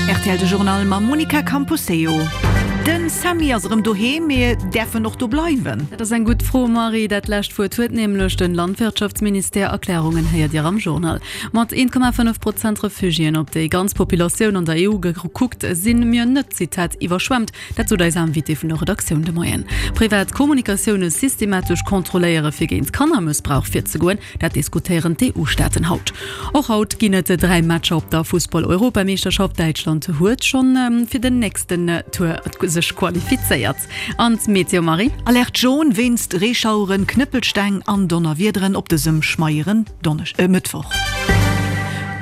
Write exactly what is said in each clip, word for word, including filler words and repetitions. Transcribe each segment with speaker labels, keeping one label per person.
Speaker 1: Rtl de Journal mam Monica Camposeo. Den Sammy ass erëm doheem, mee däerf en och do bleiwen?
Speaker 2: Dat ass eng gutt Fro, Marie. Dat lescht Wuert huet nämlech den Landwirtschaftsministère. Erklärungen héiert Dir am Journal. Mat een Komma fënnef Prozent Refugiéen op déi ganz Populatioun an der E U gekuckt, sinn mir net, Zitat, iwwerschwemmt. Dat sot eis Invitée vun der Redaktioun de Moien. Privat Kommunikatioune systematesch kontrolléiere fir géint Kannermëssbrauch virzegoen, dat diskutéieren d'E U-Staaten haut. Och haut ginn et dräi Matcher op der Fussball-Europameeschterschaft. Däitschland huet schonn fir den nächsten Tour sech qualifizéiert. An d'Meteo, Marie?
Speaker 1: Alerte jaune wéinst Reeschaueren, Knëppelsteng an Donnerwiederen op dësem schmeieren Donnesch-, äh, Mëttwoch.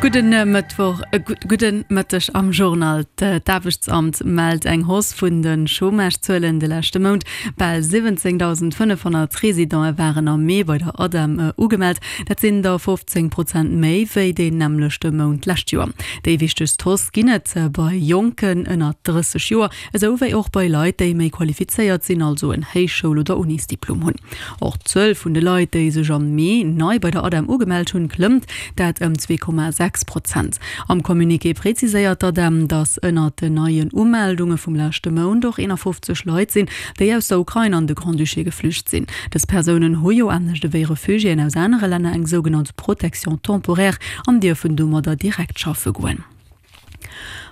Speaker 2: Gudden Mëttwoch, gudden Mëtteg am Journal. D'Aarbechtsamt mellt eng Hausse vun de Chômage-Zuelen de leschte Mount. Bal siwwenzéngdausendfënnefhonnert Residente waren am Mee bei der ADEM ugemellt. Dat sinn der fofzéng Prozent méi wéi deen nämmlechte Mount d'lescht Joer. Déi wichtegst Hausse ginn et bei Jonken ënner drësseg Joer, esou wéi och bei Leit, déi méi qualifizéiert sinn, also en Héichschoul oder Unisdiplom hunn. Och d'Zuel vun de Leit, déi sech am Mee nei bei der ADEM ugemellt hunn, klëmmt, dat ëm zwee Komma sechs Prozent. Am Communiqué preziséiert d'ADEM, datt ënnert den neien Umeldunge vum leschte Mount och eenafofzeg Leit sinn, déi aus der Ukrain an de Grand-Duché geflücht sinn. Dës Persounen hu jo anescht ewéi Refugiéen aus anere Länner eng sougenannt Protection temporaire an dierfen domadder direkt schaffe goen.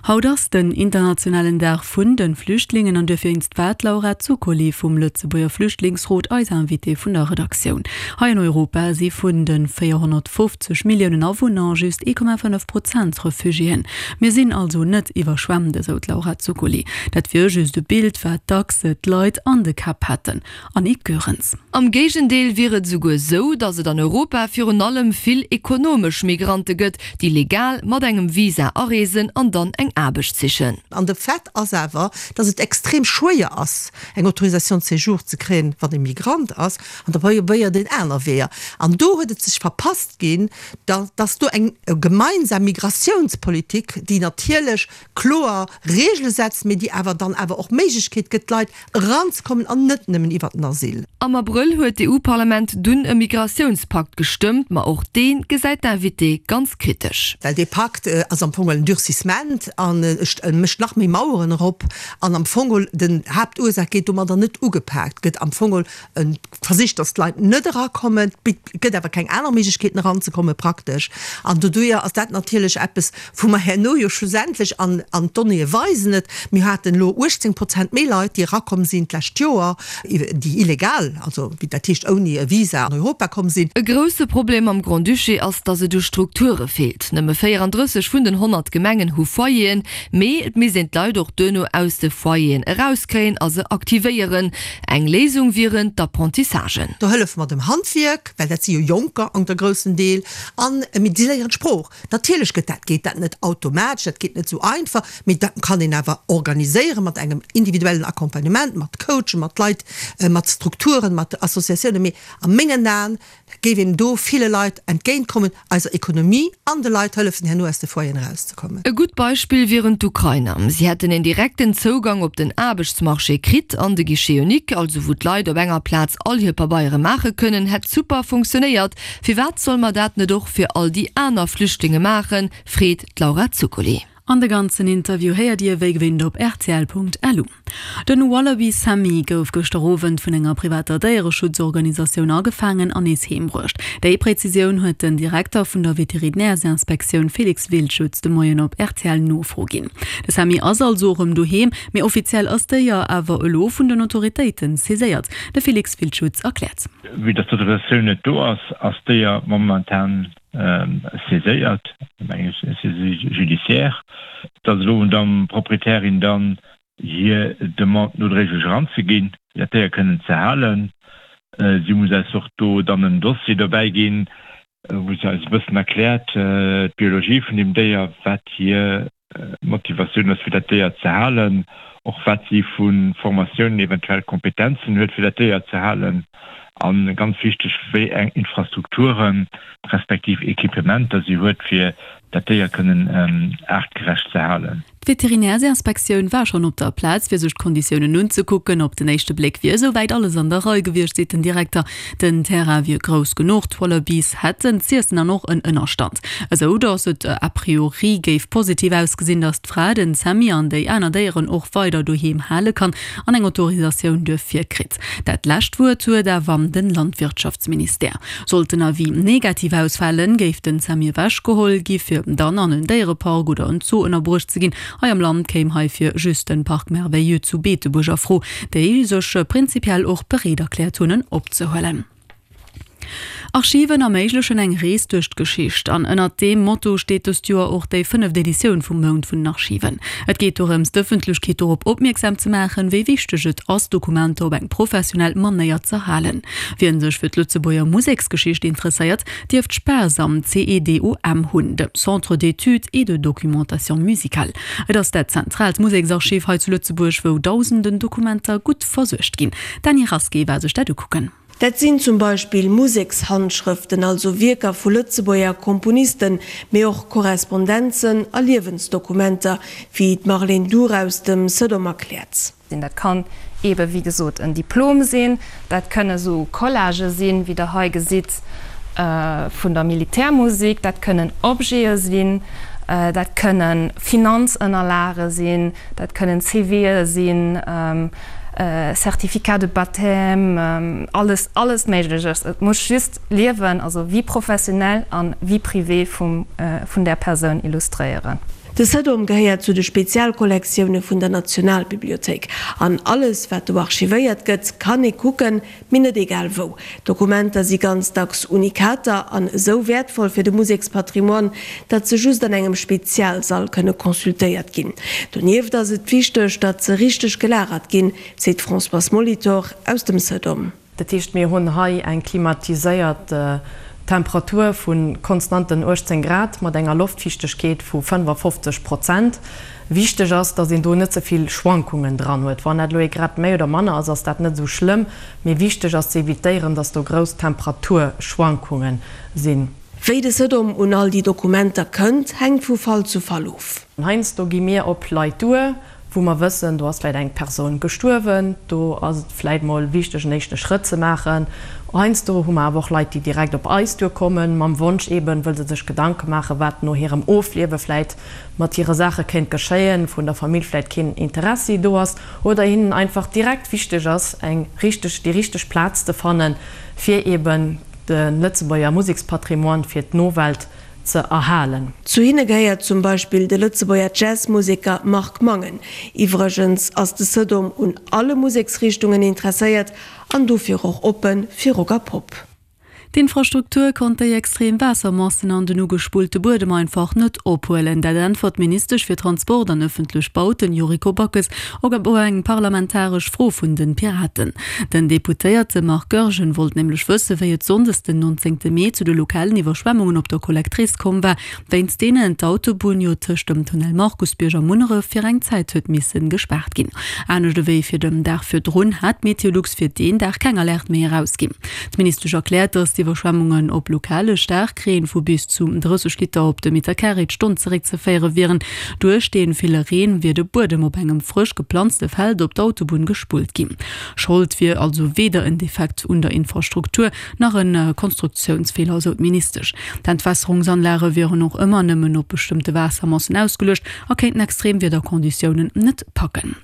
Speaker 2: Haut ass den internationalen Dag vun de Flüchtlingen an duerfir war d'Laura Zuccoli vum Lëtzebuerger Flüchtlingsrot eis Invitée vun der Redaktioun. Hei an Europa si vun de véierhonnertfofzeg Milliounen Awunner just ee Komma fënnef Prozent Refugiéen. Mir sinn also net iwwerschwemmt, esou d'Laura Zuccoli. Dat wier just e Bild, wat dacks d'Leit an de Käpp hätten. Annick Goerens.
Speaker 3: Am Géigendeel wier et esouguer esou, datt et an Europa virun allem vill ekonomesch Migrante gëtt, déi legal mat engem Visa areesen an dann eng Aarbecht sichen.
Speaker 4: An de Fait ass awer, datt et extrem schwéier ass, eng Autorisation de séjour ze kréien, wann ee Migrant ass, an da probéiert een aner Weeër. An do huet et sech verpasst ginn, datt do eng gemeinsam Migratiounspolitik, déi natierlech kloer Regele setzt, mee déi awer dann awer och Méiglechkeet gëtt, d'Leit eranzekommen an net nëmmen iwwert den Asyl.
Speaker 3: Am Abrëll huet d'E U-Parlament dunn e Migratiounspakt gestëmmt, ma och dee gesäit d'Invitée ganz kritesch.
Speaker 4: Well dee Pakt ass am Fong en Durcissement an e mécht nach méi Maueren erop an am Fong den Haaptursaach gétt domadder net ugepaakt, gëtt am Fong versicht, datt d'Leit net erakommen, et gëtt awer keng aner Méiglechkeeten eranzekommen praktesch. An doduerjer ass dat natierlech eppes, wou mer herno jo schlussendlech, an d'Donnéeë weisen et, mir haten elo uechtzéng Prozent méi Leit, déi erakomm sinn d'lescht Joer, déi illegal, also dat heescht ouni e Visa an Europa komm sinn.
Speaker 3: E grousse Problem am Grand-Duché ass, datt et u Strukture feelt. Nëmme véierandrësseg vun den honnert Gemengen hu Foyeren, mee et misst een d'Leit och duerno aus de Foyeren erauskréien a se aktivéieren. Eng Léisung wieren d'Apprentissagen.
Speaker 4: Do hëllefe mer dem Handwierk, well dat si jo Jonker an der groussen Deel, an mir si léieren d'Sprooch. Natierlech gëtt dat, geet dat net automatesch, dat geet net esou einfach, mee dat kann een awer organiséiere mat engem individuellen Accompagnement, mat Coachen, mat Leit, mat Strukturen, mat Associatiounen. Mee a mengen Aen géif een do ville Leit entgéintkommen, eiser Ekonomie an de Leit hëllefen, herno aus de Foyeren erauszekommen.
Speaker 3: E gutt Beispill wieren d'Ukrainer. Si hätten en direkten Zougang op den Aarbechtsmarché kritt an de Guichet unique, also wou d'Leit op enger Plaz all hir Pabeiere maache kënnen, hätt super funktionéiert. Firwat soll mer dat net och fir all déi aner Flüchtlinge maachen, freet d'Laura Zuccoli.
Speaker 2: An de ganzen Interview héiert Dir wéi gewinnt op rtl Punkt lu. Den Wallaby Sammy gouf gëschter Owend vun enger privater Déiereschutzorganisatioun agefaangen an nees heem bruecht. Déi Präzisioun huet den Direkter vun der Veterinärsinspektioun Felix Wildschutz de Moien op R T L Nofro ginn. De Sammy ass also erëm doheem, mee offiziell ass d'Déier awer elo vun den Autoritéiten saiséiert. De Felix Wildschutz erkläert.
Speaker 5: Vue dass d'Autorisatioun net do ass, ass d'Déier momentan saiséiert, eng Saisie judiciaire. Et ass elo un der Proprietärin dann hir Demande nodréiglech eranzeginn, fir dat Déier kënnen ze halen. Si muss eis och do dann en Dossier dobäi ginn, wou se eis e bëssen erkläert d'Biologie vun deem Déier, wat hir Motivatioun ass fir dat Déier ze halen, och wat si vu Formatiounen, eventuell Kompetenzen huet fir dat Déier ze halen a ganz wichteg, wéi eng Infrastrukturen respektiv Equipementer si huet fir dat Déier kënnen aartgerecht ze halen.
Speaker 2: D'Veterinärsinspektioun war schonn op der Plaz, fir sech d'Konditiounen unzekucken. Op den éischte Bléck wier esouwäit alles an der Rei gewiescht, seet den Direkter. Den Terrain wier grouss genuch, d'Wallabies hätten z'iessen an och en Ënnerstand, esou datt et a priori géif positiv ausgesinn, datt d'Fra den Sammy an déi aner Déieren och weider doheem hale kann an eng Autorisatioun duerfir kritt. Dat lescht Wuert huet awer de Landwirtschaftsministère. Sollt den Avis negativ ausfalen, géif den Sammy ewechgeholl gi fir dann an en Déierepark oder en Zoo ënnerbruecht ze ginn. Hei am Land kéim heifir just den Parc Merveilleux zu Beetebuerg a Fro, déi sech prinzipiell och bereet erkläert hunn en opzehuelen. Archiven erméiglechen eng Rees duerch d'Geschicht an ënnert deem Motto steet dëst Joer och déi fënneft Editioun vum Mount vun den Archiven. Et geet dorëms, d'Ëffentlechkeet dorop opmierksam ze maachen, wéi wichteg et ass, Dokumenter op eng professionell Manéier z'erhalen. Wien sech fir d'Lëtzebuerger Museksgeschicht interesséiert, dierft Spaass am CEDOM hunn, dem Centre d'études et de documentation musicale. Et ass dat zentraalt Museksarchiv hei zu Lëtzebuerg, wou dausenden Dokumenter gutt versuergt ginn. D'Dany Rasqué war sech dat ukucken.
Speaker 6: Dat sinn zum Beispill Musekshandschrëften, also Wierker vu Lëtzebuerger Komponisten, mee och Korrespondenzen a Liewensdokumenter, wéi d'Marlène Duhr aus dem Cedom erkläert.
Speaker 7: Dat kann eebe wéi gesot en Diplom sinn, dat kënne sou Collagë sinn, wéi Der hei gesitt, vun der Militärmusek, dat kënnen Objete sinn, dat kënne Finanzënnerlage sinn, dat kënnen CVe sinn, Certificat de baptême, alles, alles Méigleches. Et muss just d'Liewen, also Vie professionnelle an Vie privée vum, vun där Persoun illustréieren.
Speaker 6: De Cedom gehéiert zu de Spezialkollektioune vun der Nationalbibliothéik. An alles, wat do archivéiert gëtt, kann ee kucken, mee net egal wou. D'Dokumenter si ganz dacks Unikater an esou wäertvoll fir de Musekspatrimoine, datt se just an engem Spezialsall kënne consultéiert ginn. Donieft ass et wichteg, datt se richteg gelagert ginn, seet d'Françoise Molitor aus dem Cedom.
Speaker 8: Dat heescht, mir hunn hei eng klimatiséiert Temperatur vu konstanten uechtzéng Grad mat enger Loftfiichtegkeet vu fënnefafofzeg Prozent. Wichteg ass, datt een do net ze vill Schwankungen dran huet. Wann dat elo ee Grad méi oder manner ass, ass dat net esou schlëmm, mee wichteg ass ze evitéieren, datt do grouss Temperaturschwankunge sinn.
Speaker 6: Wéi de Cedom un all déi Dokumenter kënnt, hänkt vu Fall zu Fall of.
Speaker 8: Heiansdo gi mir op Leit duer, wou mer wëssen, do ass vläit eng Persoun gestuerwen, do ass et vläit mol wichteg en éischte Schrëtt ze maachen. Heiansdo hu mer awer och Leit, déi direkt op eis duerkommen, mam Wonsch eeben, wëll se sech Gedanke maachen, wat no hirem Ofliewe vläit mat hire Saache kéint geschéien, vun der Famill vläit keen Interessi do ass oder hinnen einfach direkt wichteg ass, eng richteg, déi richteg Plaz ze fannen, fir eeben de Lëtzebuerger Musekspatrimoine fir d'Nowelt ze erhalen.
Speaker 6: Zu hinne gehéiert zum Beispill de Lëtzebuerger Jazzmuseker Marc Mangen. Iwwregens ass de Cedom un alle Museksrichtungen interesséiert an dofir och oppe fir Rock a Pop.
Speaker 2: D'Infrastruktur konnt déi extrem Waassermassen an den ugespullte Buedem einfach net ophuelen. Dat äntwert d'Ministesch fir Transport an ëffentlech Bauten Yuriko Backes op eng parlamentaresch Fro vun den Piraten. Den Deputéierte Marc Goergen wollt nämlech wësse wéi et sonndes den nonzéngte Mee zu de lokalen Iwwerschwemmungen op der Collectrice komm war, wéinst deenen d'Autobunn jo tëscht dem Tunnel Markusbierg a Munneref fir eng Zäit huet missen gespaart ginn. Anescht ewéi fir dem Dag virdrun hat Meteolux fir deen Dag keng Alerte méi erausginn. D'Ministesch erkläert, datt d'Iwwerschwemmungen op lokale Staarkreen vu bis zu drësseg Liter op de Metercarré d'Stonn zeréckzeféiere wieren. Duerch dee ville Reen wier de Buedem op engem frësch geplanzte Feld op d'Autobunn gespullt ginn. Schold wier also weder en Defekt un der Infrastruktur nach e Konstruktiounsfeeler, esou d'Ministesch. D'Entwässerungsanlage wieren och ëmmer nëmmen op bestëmmte Waassermassen ausgeluecht a kéinten extrem Wiederkonditiounen net packen.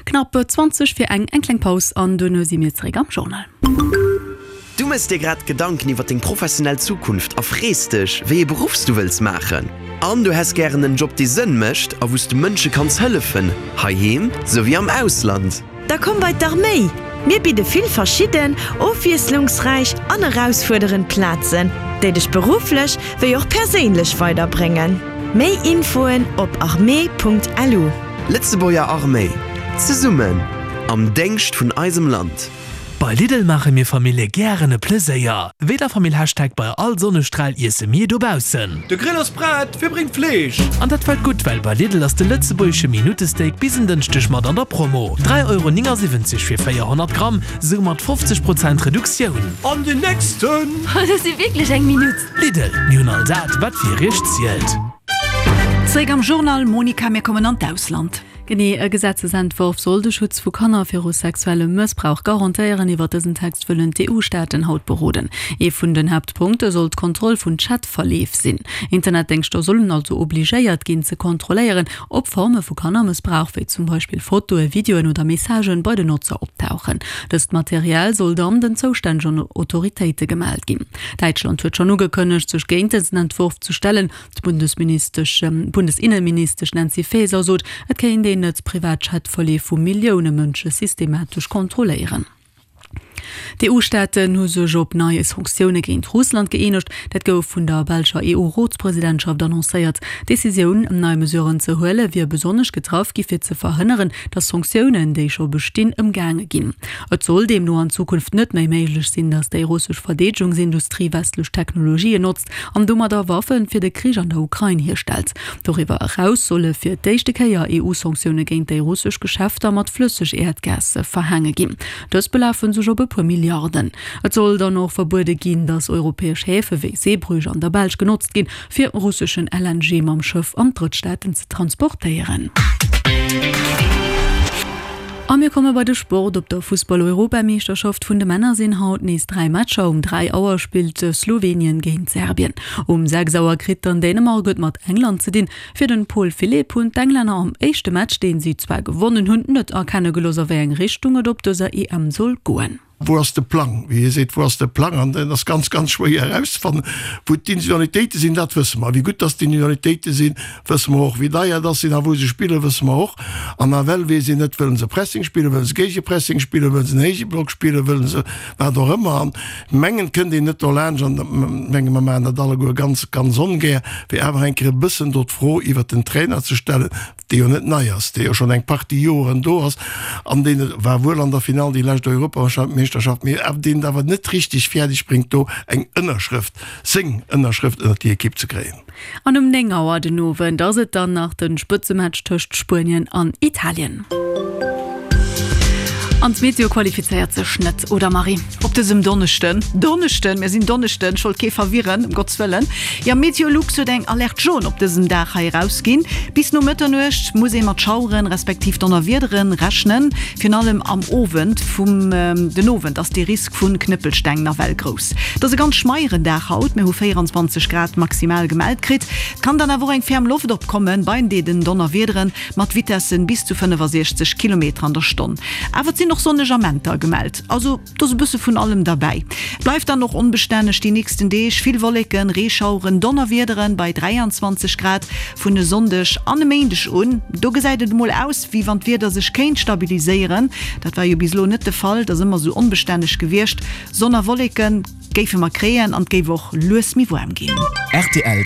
Speaker 2: Knapp zwanzeg fir eng, eng kleng Paus an duerno si mir zeréck am Journal.
Speaker 9: Du mëss dir grad Gedanken iwwer deng professionell Zukunft a frees dech, wéi ee Beruff s du wëlls maachen? An du häss gären en Job, dee Sënn mécht a wou s du Mënsche kanns hëllefen, heiheem souwéi am Ausland?
Speaker 10: Da komm bei d'Arméi! Mir bidde vill verschidden, ofwiesslungsräich an erausfuerderend Plazen, déi dech berufflech wéi och perséinlech weiderbréngen. Méi Infoen op armee.lu.
Speaker 9: Lëtzebuerger Arméi, zesummen am Déngscht vun eisem Land.
Speaker 11: Bei Lidl maache mir Famillje gären e Pleséier. Wéi der Famill Hashtag bei all Sonnestral iesse mir dobaussen.
Speaker 12: De Grill ass prett, wie bréngt d'Fleesch?
Speaker 11: An dat fält gutt, well bei Lidl ass de lëtzebuergesche Minuttesteak bis en Dënschdeg mat an der Promo, dräi Euro néngasiwwenzeg fir véierhonnert Gramm, soumat fofzeg Prozent Reduktioun.
Speaker 12: An den nächsten!
Speaker 3: Dat ass jo wierklech eng Minutt!
Speaker 11: Lidl, mir hunn all dat, wat fir iech zielt.
Speaker 1: Zréck am Journal, Monika, mir kommen an d'Ausland.
Speaker 2: Genee, e Gesetzesentworf soll de Schutz vu Kanner viru sexuellem Mëssbrauch garantéieren. Iwwer dësen Text wëllen d'EU-Staaten haut beroden. Ee vun den Haaptpunkte soll d'Kontroll vun Chatverleef sinn. Internetdéngschter sollen also obligéiert ginn ze kontrolléieren, ob Forme vu Kannermëssbrauch, wéi zum Beispill Fotoe, Videoen oder Messagen, bei den Notzer optauchen. Dëst Material soll dann den zoustännegen Autoritéite gemellt ginn. Däitschland huet schonn ugekënnegt, sech géint dësen Entworf ze stellen. D'Bundesministesch, Bundesinneministesch Nancy Faeser sot, et kéint een net privat Chatverleef vu Millioune Mënsche systematesch kontrolléieren. D'EU-Staaten hu sech op nei Sanktioune géint Russland gëeenegt. Dat gouf vun der belscher EU-Rotspresidentschaft annoncéiert. D'Decisioun, nei Mesuren ze huele wier besonnesch getraff gi fir ze verhënneren, datt Sanktiounen, déi scho bestinn, ëmgaange ginn. Et soll deemno an Zukunft net méi méiglech sinn, datt déi russesch Verdeedegungsindustrie westlech Technologien notzt an domadder Waffe fir de Krich an der Ukrain hierstellt. Doriwwer eraus solle fir d'éischte Kéier EU-Sanktioune géint déi russesch Geschäfter mat Flësseg-Äerdgas verhaange ginn. Dës belafe sech op e puer Milliarden. Et soll dann och verbuede ginn, datt europäesch Häfe wéi Zeebrugge an der Belsch genotzt ginn, fir russeschen L N G mam Schëff an Drëttstaaten ze transportéieren. A mir komme bei de Sport. Op der Fussball-Europameeschterschaft vun de Männer sinn haut nees dräi Matcher. Um dräi Auer spillt Slowenien géint Serbien. Um sechs Auer kritt dann Dänemark et mat England ze dinn. Fir den Paul Philipp hunn d'Englänner am éischte Match, deen si zwar gewonnen hunn, net erkenne gelooss a wéi eng Richtung et op dëser E M soll goen.
Speaker 13: Wou ass de Plang? Wéi hie seet, wou ass de Plang? An dat ass ganz, ganz schwéier erauszefannen. Wou d'Individualitéite sinn, dat wësse mer. Wéi gutt dass d'Individualitéite sinn, wësse mer och. Wéi deier dass sinn a wou se spillen, wësse mer och. An nawell weess een net, wëllen se Pressing spillen, wëllen se Géigepressing spillen, wëllen se en héije Block spillen, wëllen se wat och ëmmer. An mengen, et kënnt een net dolaanscht, an menge mer maachen dat alleguer ganz, ganz ongär, fir awer eng Kéier e bëssen do d'Fro iwwert den Trainer ze stellen, dee jo net nei ass, dee jo schonn eng Partie Joren do ass an deen et war wuel an der Finall déi lescht Europameeschterschaft, mee awer deen et awer net richteg fäerdeg bréngt, do eng Ënnerschrëft, seng Ënnerschrëft ënnert déi Ekipp ze kréien.
Speaker 2: An um néng Auer den Owend ass et dann nach de Spëtzematch tëscht Spuenien an Italien. An d'Meteo qualifizéiert sech net, oder Marie?
Speaker 1: Op dësem Donneschden, Donneschden, mir sinn Donneschden, ech wollt kee verwirren, ëm Gotts Wëllen, jo, Meteolux huet eng Alerte jaune op dësem Dag hei erausginn. Bis no Mëtternuecht muss ee mat Schaueren, respektiv Donnerwiedere rechnen. Virun allem am Owend vum den Owend ass de Risk vu Knëppelsteng nawell grouss. Et ass e ganz schmeieren Dag haut, mir hu véieranzwanzeg Grad maximal gemellt kritt. Et kann dann awer och eng ferm Loft opkommen bei den Donnerwiedere mat Vitessen bis zu fënnefasiechzeg Kilometer an der Stonn. Awer et sinn och sonneg Amenter gemellt, also do ass e bësse vun allem derbäi. Et bleift dann och onbestänneg déi nächsten Deeg, vill Wolleken, Reeschaueren, Donnerwiederen bei dräianzwanzeg Grad. Vun e Sonndeg an e Méindeg un, do gesäit et emol aus, wéi wann d'Wieder sech kéint stabiliséieren. Dat war jo bis elo net de Fall, et ass ëmmer esou onbestänneg gewiescht. Sonn a Wolleke géife mer kréien an et géif och lues méi waarm ginn.
Speaker 14: Rtl.